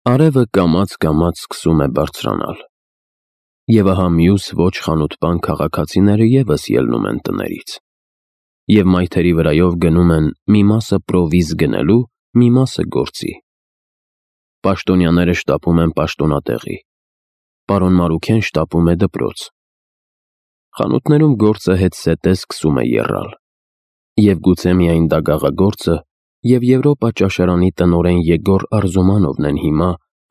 Արևը կամաց-կամաց սկսում է բարձրանալ, և ահա մյուս ոչ խանութպան քաղաքացիները ևս ելնում են տներից, և մայթերի վրայով գնում են մի մասը պրովիզ գնելու, մի մասը գործի։ Պաշտոնյաները շտապում են պաշտոնատեղի, պարոն Մարուքեն շտապում է դպրոց։ Խանութներում գործը հետզհետե սկսում է եռալ, և գուցե միայն դագաղագործը և Եվրոպա ճաշարանի տնօրեն Եգոր Արզումանովն են հիմա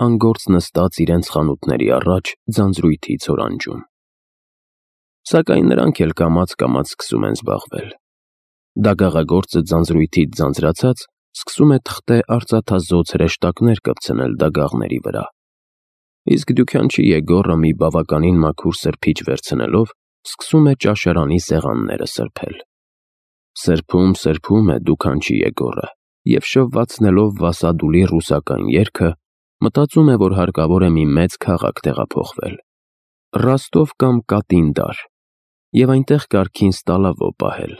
անգործ նստած իրենց խանութների առաջ ձանձրույթի ցորանջում։ Սակայն նրանք էլ կամաց-կամաց սկսում են զբաղվել։ Դագաղագործը ձանձրույթից ձանձրացած սկսում է թղթե արծաթազօծ հրեշտակներ կպցնել դագաղների վրա, իսկ դյուքանչի Եգորը մի բավականին մաքուր սրբիչ վերցնելով սկսում է ճաշարանի սեղանները սրբել։ Սրբում է դուքանչի Եգորը և շվվացնելով Վասադուլի ռուսական երգը, մտածում է, որ հարկավոր է մի մեծ քաղաք տեղափոխվել, Ռոստով կամ Կատինդար, և այնտեղ կարգին Ստալավո պահել։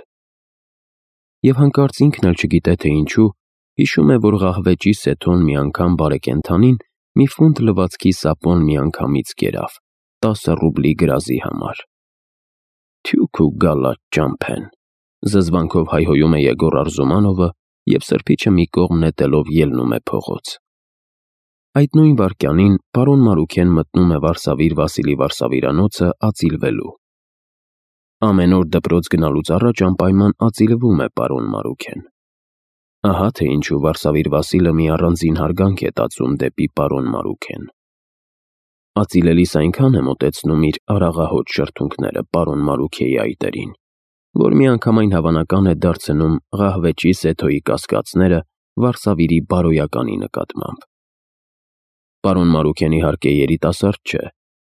Եվ հանկարծ ինքն էլ չգիտե թե ինչու, հիշում է, որ ղահվեճի սեթոն մի անգամ բարեկենդանին մի ֆունտ լվացքի սապոն միանգամից կերավ 10 ռուբլի գրազի համար։ «Թյու քու գալած ճամփեն», զզվանքով հայհոյում է Եգոր Արզումանովը և սրբիչը մի կողմ նետելով ելնում է փողոց։ Այդ նույն վայրկյանին պարոն Մարուքեն մտնում է Վարսավիր Վասիլի վարսավիրանոցը ածիլվելու։ Ամեն օր դպրոց գնալուց առաջ անպայման ածիլվում է պարոն Մարուքեն։ Ահա թե ինչու Վարսավիր Վասիլը մի առանձին հարգանք է տածում դեպի պարոն Մարուքեն։ Ածիլելիս այնքան է մոտեցնում իր արաղահոտ շրթունքները պարոն Մարուքեի այտերին, որ միանգամայն հավանական է դարձնում ղահվեճի սեթոյի կասկածները Վարսավիրի բարոյականի նկատմամբ։ Պարոն Մարուքենի իհարկե երիտասարդ չէ,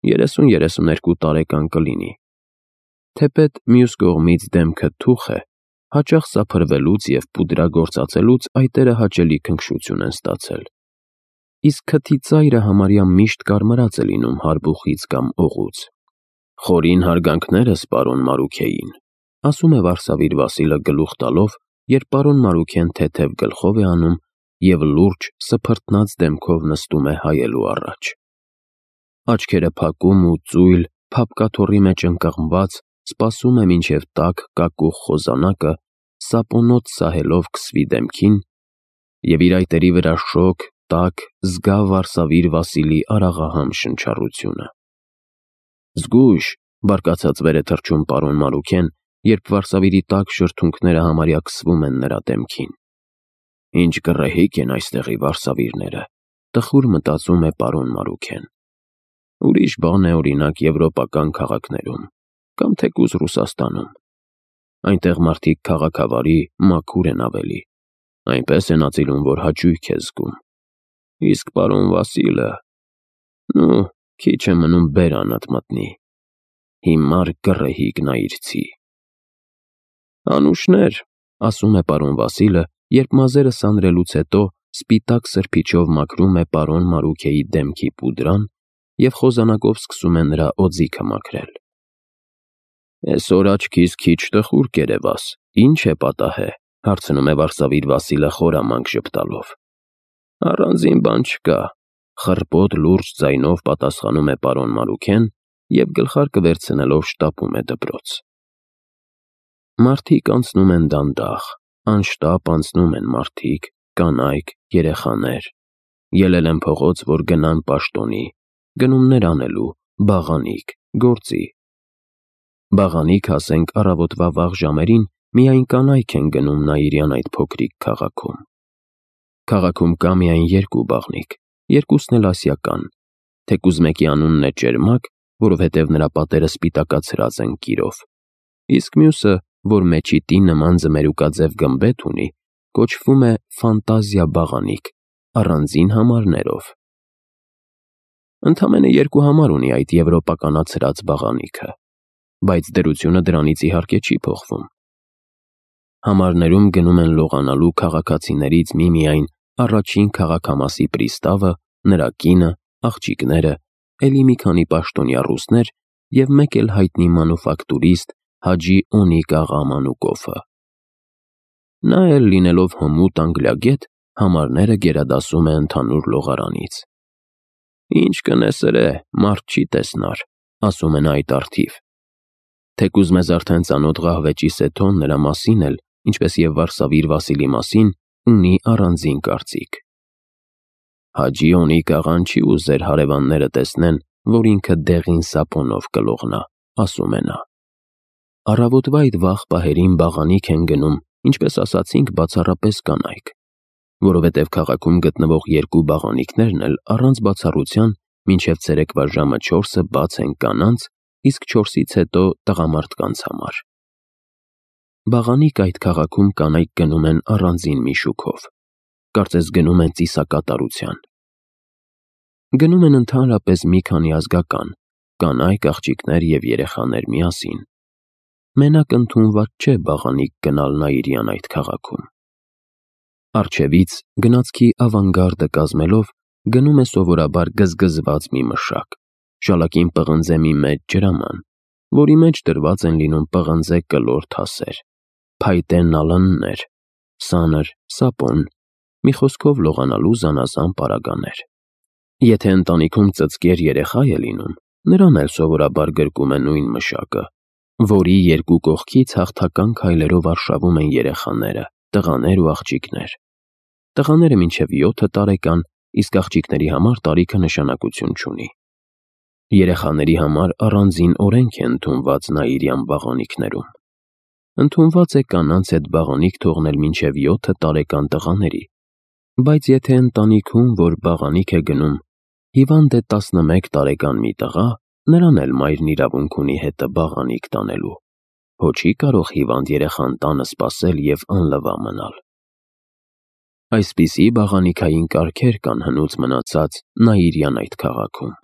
30-32 տարեկան կլինի, թեպետ մյուս կողմից դեմքը թուխ է, հաճախ սափրվելուց և պուդրագործածելուց այտերը հաճելի քնքշություն են ստացել, իսկ քթի ծայրը համարյա միշտ կարմրած է լինում հարբուխից կամ օղուց։ «Խորին հարգանքներս պարոն Մարուքեին», ասում է Վարսավիր Վասիլը գլուխ տալով, երբ պարոն Մարուքեն թեթև գլխով է անում և լուրջ սփռտնած դեմքով նստում է հայելու առաջ։ Աչքերը փակում ու ծույլ, փափկաթոռի մեջ ընկղմված, սպասում է, մինչև տաք կակուղ խոզանակը սապոնոց սահելով քսվի դեմքին, և իր այտերի վրա շոգ, տաք, զգա Վարսավիր Վասիլի արաղահամ շնչառությունը։ «Զգույշ», բարկացած վեր է թռչում պարոն Մարուքեն, երբ Վարսավիրի տաք շրթունքները համարյա քսվում են նրա դեմքին։ «Ինչ գռեհիկ են այստեղի վարսավիրները», տխուր մտածում է պարոն Մարուքեն։ Ուրիշ բան է, օրինակ, եվրոպական քաղաքներում կամ թեկուզ Ռուսաստանում։ Այնտեղ մարդիկ քաղաքավարի, մաքուր են ավելի, այնպես են ածիլում, որ հաճույք է զգում։ Իսկ պարոն Վասիլը… քիչ է մնում բերանդ մտնի։ Հիմար գռեհիկ նայիրցի։ «Անուշներ», ասում է պարոն Վասիլը, երբ մազերը սանրելուց հետո սպիտակ սրբիչով մաքրում է պարոն Մարուքեի դեմքի պուդրան և խոզանակով սկսում է նրա օձիքը մաքրել։ «Էսօր աչքիս քիչ տխուր կերևաս, ի՞նչ է պատահե», հարցնում է Վարսավիր Վասիլը խորամանկ ժպտալով։ «Առանձին բան չկա», խռպոտ լուրջ ձայնով պատասխանում է պարոն Մարուքեն և գլխարկը վերցնելով շտապում է դպրոց։ Մարդիկ անցնում են դանդաղ, անշտապ անցնում են մարդիկ, կանայք, երեխաներ, ելել են փողոց, որ գնան պաշտոնի, գնումներ անելու, բաղանիք, գործի։ Բաղանիք, ասենք, առավոտվա վաղ ժամերին միայն կանայք են գնում Նաիրյան այդ փոքրիկ քաղաքում։ Քաղաքում կա միայն երկու բաղնիք, երկուսն էլ ասիական, թեկուզ մեկի անունն է Ճերմակ, որովհետև նրա պատերը սպիտակացրած են կիրով, իսկ մյուսը, որ մեջիտի նման ձմերուկաձև գմբեթ ունի, կոչվում է Ֆանտազիա բաղանիք, առանձին համարներով։ Ընդամենը երկու համար ունի այդ եվրոպականացրած բաղանիքը, բայց դրությունը դրանից իհարկե չի փոխվում։ Համարներում գնում են լողանալու քաղաքացիներից միմիայն առաջին քաղաքամասի պրիստավը, նրա կինը, աղջիկները, էլի մի քանի պաշտոնյա ռուսներ և մեկ էլ հայտնի մանուֆակտուրիստ Հաջի Օնիկ աղա Մանուկովը։ Նա էլ, լինելով հմուտ անգլիագետ, համարները գերադասում է ընդհանուր լողարանից Ինչ կնեսրե, մարդ չի տեսնար, ասում են այդ արդիվ։ Թեկուզ մեզ արդեն ծանոթ Ղահվեճի Սեթոն նրա մասին էլ, ինչպես եւ Վարսավիր Վասիլի մասին, ունի առանձին կարծիք։ Հաջի Օնիկ աղան չի ուզեր հարևանները տեսնեն, որ ինքը դեղին սապոնով կլողնա, ասում է նա։ Առավոտվա այդ վաղ պահերին բաղանիք են գնում, ինչպես ասացինք, բացառապես կանայք, որովհետև քաղաքում գտնվող երկու բաղանիքներն էլ առանց բացառության մինչև ցերեկվա ժամը 4-ը բաց են կանանց, իսկ 4-ից հետո տղամարդկանց համար։ Բաղանիք այդ քաղաքում կանայք գնում են առանձին մի շուքով, կարծես գնում են ծիսակատարության։ Գնում են ընդհանրապես մի քանի ազգական, կանայք, աղջիկներ և երեխաներ միասին։ Մենակ ընդունված չէ բաղանիք գնալ Նաիրյան այդ քաղաքում։ Առջևից գնացքի ավանգարդը կազմելով գնում է սովորաբար գզգզված մի մշակ, շալակին պղնձե մի մեծ ջրաման, որի մեջ դրված են լինում պղնձե կլոր թասեր, փայտե նալաններ, սանր, սապոն, մի խոսքով լողանալու զանազան պարագաներ։ Եթե ընտանիքում ծծկեր երեխա է լինում, նրան էլ սովորաբար գրկում է նույն մշակը, որի երկու կողքից հաղթական քայլերով արշավում են երեխաները, տղաներ ու աղջիկներ։ Տղաները մինչև 7 տարեկան, իսկ աղջիկների համար տարիքը նշանակություն չունի։ Երեխաների համար առանձին օրենք է ընդունված Նաիրյան բաղանիքներում։ Ընդունված է կանանց հետ բաղանիք թողնել մինչև 7 տարեկան տղաների, բայց եթե ընտանիքում, որ բաղանիք է գնում, հիվանդ է 11 տարեկան մի տղա, նրան էլ մայրն իրավունք ունի հետը բաղանիք տանելու, հո չի կարող հիվանդ երեխան տանը սպասել և անլվա մնալ։ Այսպիսի բաղանիքային կարգեր կան հնուց մնացած Նաիրյան այդ քաղաքում։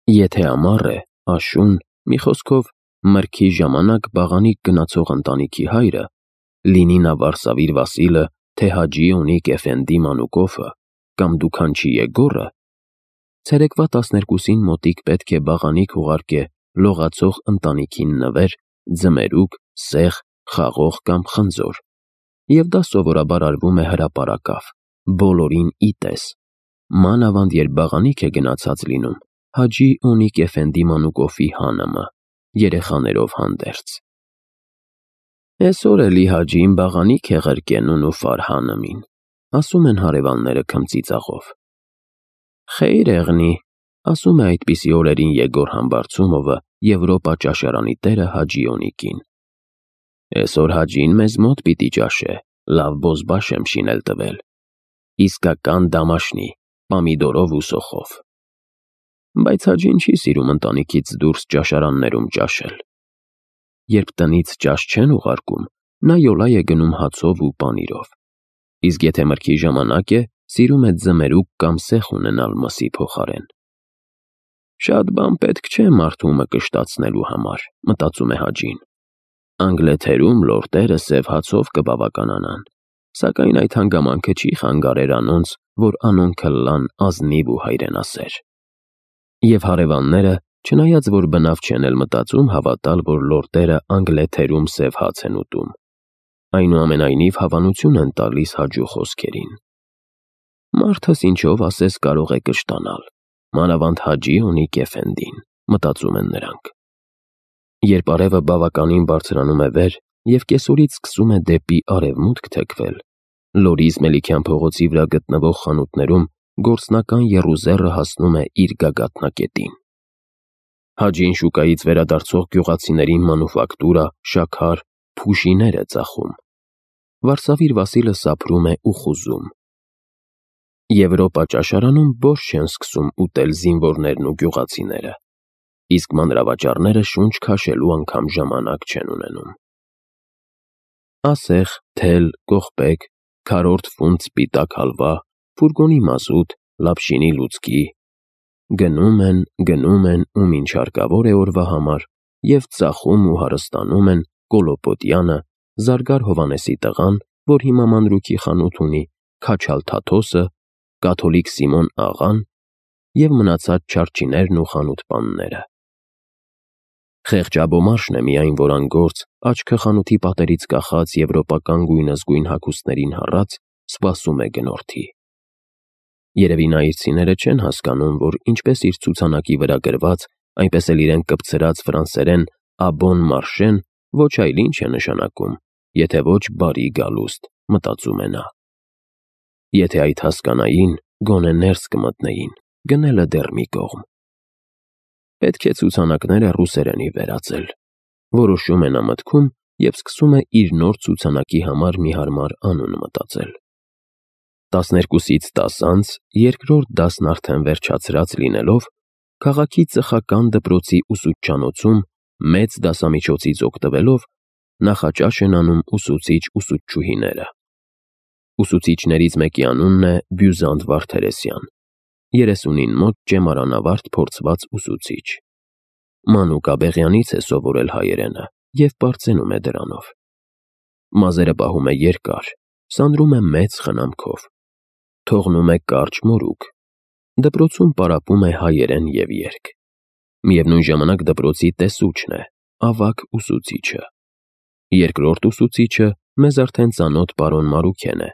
Եթե ամառ է, աշուն, մի խոսքով մրգի ժամանակ բաղանիք գնացող ընտանիքի հայրը, լինի նա Վարսավիր Վասիլը, թե Հաջի Օնիկ Էֆենդի Մանուկովը կամ Դուքանչի Եգորը, ցերեկվա 12-ին մոտիկ պետք է բաղանիք ուղարկե լողացող ընտանիքին նվեր, ձմերուկ, սեխ, խաղող կամ խնձոր, և դա սովորաբար արվում է հրապարակավ, բոլորին ի տես, մանավանդ երբ բաղանիք է գնացած լինում Հաջի Օնիկ Էֆենդի Մանուկովի հանմը, երեխաներով հանդերձ։ Էսօր էլի Հաջին բաղանիք է ղրկենուն ու Ֆարհանըմին, ասում են հարևանները քմծիծաղով։ Խեյր եղնի, ասում է այդպիսի օրերին Եգոր Համբարձումովը, Եվրոպա ճաշարանի տերը Հաջի Օնիկին։ Էսօր Հաջին մեզ մոտ պիտի ճաշե, լավ բոզբաշ եմ շինել տվել, իսկական դամաշնի, պամիդորով ու սոխով։ Բայց Հաջին չի սիրում ընտանիքից դուրս ճաշարաններում ճաշել։ Երբ տնից ճաշ չեն ուղարկում, նա յոլա է գնում հացով ու պանիրով, իսկ եթե մրգի ժամանակ է, սիրում է ձմերուկ կամ սեխ ունենալ մսի փոխարեն։ Շատ բան պետք չէ մարդումը կշտացնելու համար, մտածում է Հաջին։ Անգլեթերում լորդերը սև հացով կբավականանան, սակայն այդ հանգամանքը չի խանգարեր անոնց, որ անոնքը լան ազնիվ ու հայրենասեր։ Եվ հարևանները, չնայած որ բնավ չեն էլ մտածում հավատալ, որ լորդերը Անգլեթերում սև հաց են ուտում, այնուամենայնիվ հավանություն են տալիս Հաջու խոսքերին։ Մարդս ինչով ասես կարող է կշտանալ, մանավանդ Հաջի Օնիկ Էֆենդին, մտածում են նրանք։ Երբ արևը բավականին բարձրանում է վեր և կեսօրից սկսում է դեպի արևմուտք թեքվել, Լորիզ Մելիքյան փողոցի վրա գտնվող խանութներում գործնական եռուզեռը հասնում է իր գագաթնակետին։ Հաջին շուկայից վերադարձող գյուղացիներին մանուֆակտուրա, շաքար, փուշիներ է ծախում։ Վարսավիր Վասիլը սափրում է ու խուզում։ Եվրոպա ճաշարանում բորշ չեն սկսում ուտել զինվորներն ու գյուղացիները, իսկ մանրավաճառները շունչ քաշելու անգամ ժամանակ չեն ունենում։ Ասեղ, թել, կողպեկ, քառորդ ֆունտ սպիտակ հալվա, ֆուրգոնի մազութ, լապշինի լուծկի։ Գնում են ու մինչ հարկավոր է օրվա համար, և ծախում ու հարստանում են Կոլոպոտյանը, Զարգար Հովհաննեսի տղան, որ հիմա մանրուքի խանութ ունի, Քաչալ Թաթոսը, Կաթոլիկ Սիմոն աղան և մնացած չարչիներն ու խանութպանները։ Խեղճաբոմարշն է միայն, որ անգործ, աչքը խանութի պատերից կախած եվրոպական գույնզգույն հագուստներին հառած, սպասում է գնորդի։ Երևի նայիրցիները չեն հասկանում, որ ինչպես իր ցուցանակի վրա գրված, այնպես էլ իրեն կպցրած ֆրանսերեն «Աբոն մարշեն» ոչ այլ ինչ է նշանակում, եթե ոչ բարի գալուստ, մտածում է նա։ Եթե այդ հասկանային, գոնե ներս կմտնեին, գնելը դեռ մի կողմ։ Պետք է ցուցանակները ռուսերենի վերածել, որոշում է նա մտքում և սկսում է իր նոր ցուցանակի համար մի հարմար անուն մտածել։ 12-ից 10 անց, երկրորդ դասն արդեն վերջացրած լինելով, քաղաքի ծխական դպրոցի ուսուցչանոցում մեծ դասամիջոցից օգտվելով նախաճաշ են անում ուսուցիչ-ուսուցչուհիները։ Ուսուցիչներից մեկի անունն է Բյուզանդ Վարդերեսյան, 30-ին մոտ ճեմարանավարտ փորձված ուսուցիչ։ Մանուկ Աբեղյանից է սովորել հայերենը և պարծենում է դրանով։ Մազերը պահում է երկար, սանրում է մեծ խնամքով, թողնում է կարճ մորուք, դպրոցում պարապում է հայերեն և երգ։ Միևնույն ժամանակ դպրոցի տեսուչն է, ավագ ուսուցիչը։ Երկրորդ ուսուցիչը մեզ արդեն ծանոթ պարոն Մարուքեն է։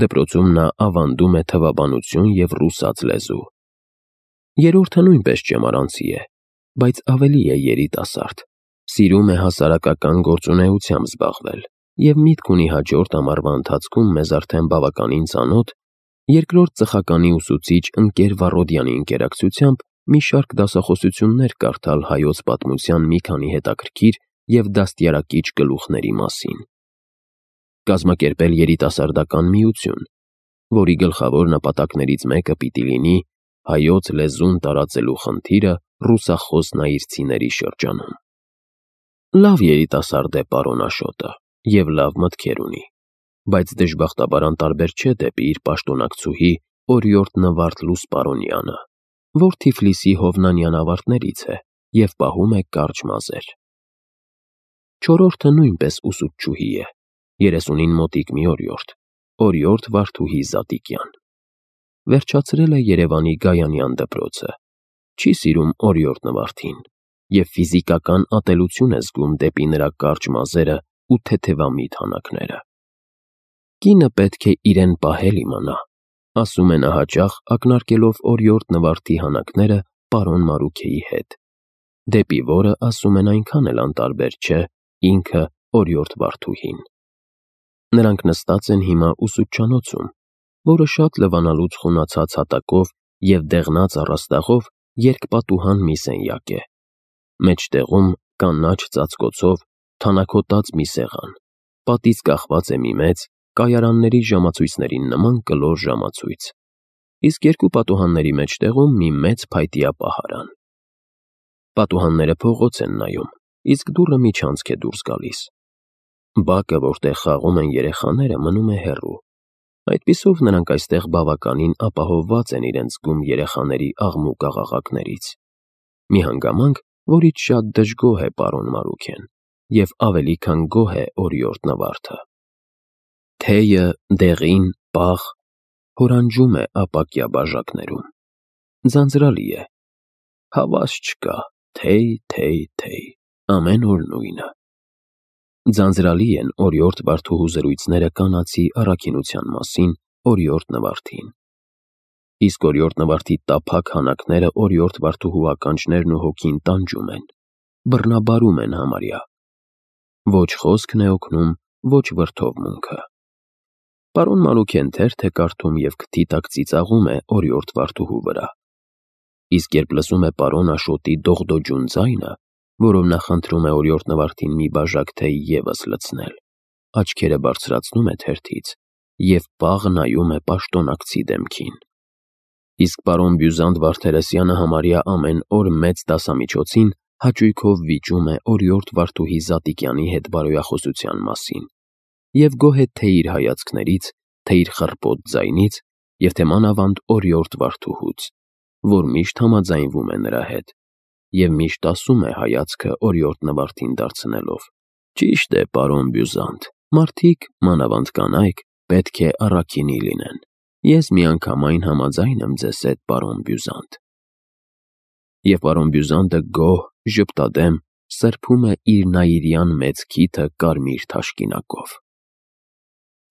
Դպրոցում նա ավանդում է թվաբանություն և ռուսաց լեզու։ Երրորդը նույնպես ճեմարանցի է, բայց ավելի է երիտասարդ, սիրում է հասարակական գործունեությամբ զբաղվել և միտք ունի հաջորդ ամառվա ընթացքում մեզ արդեն բավականին ծանոթ երկրորդ ծխականի ուսուցիչ Ընկեր Վառոդյանի ընկերակցությամբ մի շարք դասախոսություններ կարդալ հայոց պատմության մի քանի հետաքրքիր և դաստիարակիչ գլուխների մասին։ Կազմակերպել երիտասարդական միություն, որի գլխավոր նպատակներից մեկը պիտի լինի հայոց լեզուն տարածելու խնդիրը ռուսախոս նայիրցիների շրջանում։ Լավ երիտասարդ է պարոն Աշոտը և լավ մտքեր ունի, բայց դժբախտաբար անտարբեր չէ դեպի իր պաշտոնակցուհի օրիորդ Նվարդ Լուսպարոնյանը, որ Թիֆլիսի Հովնանյան ավարտներից է և պահում է կարճ մազեր։ Չորրորդը նույնպես ուսուցչուհի է, 30-ին մոտիկ մի օրիորդ Վարդուհի Զատիկյան։ Վերջացրել է Երևանի Գայանյան դպրոցը, չի սիրում օրիորդ Նվարդին և ֆիզիկական ատելություն է զգում դեպի նրա կարճ մազերը ու թեթևամիտ հանակները։ Կինը պետք է իրեն պահել իմանա, ասում է նա հաճախ ակնարկելով օրիորդ Նվարդի հանակները պարոն Մարուքեի հետ, դեպի որը ասում են այնքան էլ անտարբեր չէ ինքը օրիորդ Վարդուհին։ Նրանք նստած են հիմա ուսուցչանոցում, որը շատ լվանալուց խունացած հատակով և դեղնած առաստաղով երկպատուհան մի սենյակ է, մեջտեղում կանաչ ծածկոցով թանաքոտած մի սեղան, պատից կախված է մի մեծ, կայարանների ժամացույցներին նման կլոր ժամացույց, իսկ երկու պատուհանների մեջտեղում մի մեծ փայտյա պահարան։ Պատուհանները փողոց են նայում, իսկ դուռը միջանցք է դուրս գալիս։ Բակը, որտեղ խաղում են երեխաները, մնում է հեռու, այդպիսով նրանք այստեղ բավականին ապահովված են իրենց զգում երեխաների աղմուկ-աղաղակներից։ Մի հանգամանք, որից շատ դժգոհ է պարոն Մարուքեն և ավելի քան գոհ է օրիորդ Նվարդը։ Թեյը, դեղին, պաղ, հորանջում է ապակյա բաժակներում։ Ձանձրալի է։ Հավաս չկա, թեյ, ամեն օր նույնը։ Ձանձրալի են օրիորդ Վարդուհու զրույցները կանացի առաքինության մասին օրիորդ Նվարդին։ Իսկ օրիորդ Նվարդի տափակ հանակները օրիորդ Վարդուհու ականջներն ու հոգին տանջում են, բռնաբարում են համարյա։ Ոչ խոսքն է օգնում, ոչ վրդովմունքը։ Պարոն Մարուքեն թերթ է կարդում և քթի տակ ծիծաղում է օրիորդ Վարդուհու վրա։ Իսկ երբ լսում է պարոն Աշոտի դողդոջուն ձայնը, որով նա խնդրում է օրիորդ Նվարդին մի բաժակ թեյ ևս լցնել, աչքերը բարձրացնում է թերթից և պաղ նայում է պաշտոնակցի դեմքին։ Իսկ պարոն Բյուզանդ Վարդերեսյանը համարյա ամեն օր մեծ դասամիջոցին հաճույքով վիճում է օրիորդ Վարդուհի Զատիկյանի հետ բարոյախոսության մասին և գոհ է թե իր հայացքներից, թե իր խռպոտ ձայնից և թե մանավանդ օրիորդ Վարդուհուց, որ միշտ համաձայնվում է նրա հետ և միշտ ասում է հայացքը օրիորդ Նվարդին դարձնելով. «Ճիշտ է, պարոն Բյուզանդ, մարդիկ, մանավանդ կանայք, պետք է առաքինի լինեն։ Ես միանգամայն համաձայն եմ ձեզ հետ, պարոն Բյուզանդ»։ Եվ պարոն Բյուզանդը գոհ, ժպտադեմ սրբում է իր նայիրյան մեծ քիթը կարմիր թաշկինակով։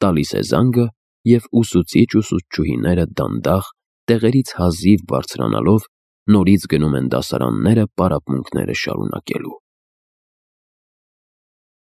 Տալիս է զանգը, և ուսուցիչ-ուսուցչուհիները դանդաղ տեղերից հազիվ բարձրանալով նորից գնում են դասարանները պարապմունքները շարունակելու։